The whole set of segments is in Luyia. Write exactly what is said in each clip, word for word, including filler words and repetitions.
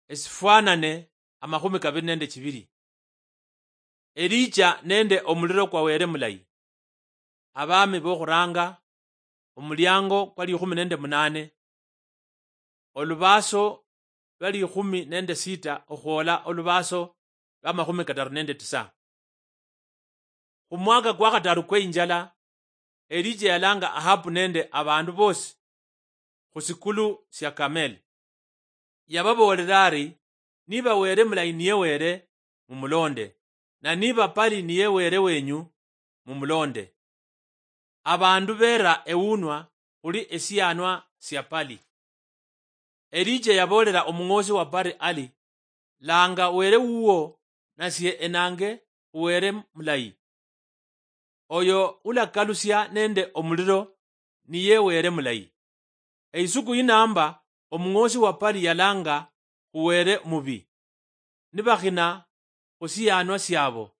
Esifwanane amakhumi kabiri nende chibiri. Elija nende omuliro kwa Wele mulayi. Abami bokhuranga, omuliango kwa likhumi nende munane, olubaaso lwa likhumi nende sita okhwola olubaaso lwa makhumi kataru nende tisa. Khumwaka kwa khataru kwe injala, Elija yalanga Ahabu nende abandu bosi khusikulu sia Kameli. Yababoolera ari, "Niba Wele mulayi niye Wele, mumulonde, na niba Pali niye Wele wenyu, mumulonde." Abandu beera ewunwa khuli esiyanwa sia Pali. Elija yaboolera omung'oosi wa Pali ali, "Langa Wele wuwo, nasie enange Wele mulayi. Oyo ulakalusia nende omuliro niye Wele mulayi." Eisuku yinamba omung'oosi wa Pali yalanga khu Wele mubi, nibakhina khu siyanwa siabo,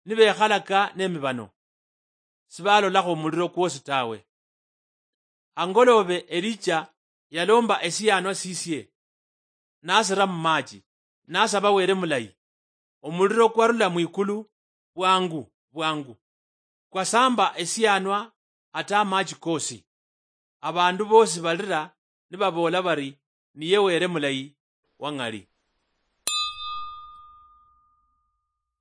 nibekhalaka nemibano, sibalolakho omuliro kwosi tawe. Angoloobe Elija yalomba esiyanwa sisie, nasira mumachi, nasaba Wele mulayi. Omuliro kwarula mwikulu bwangu bwangu, kwasamba esiyanwa ata amachi kosi. Abandu bosi balira nibaboola bari, "Niye Wele mulayi wang'ali."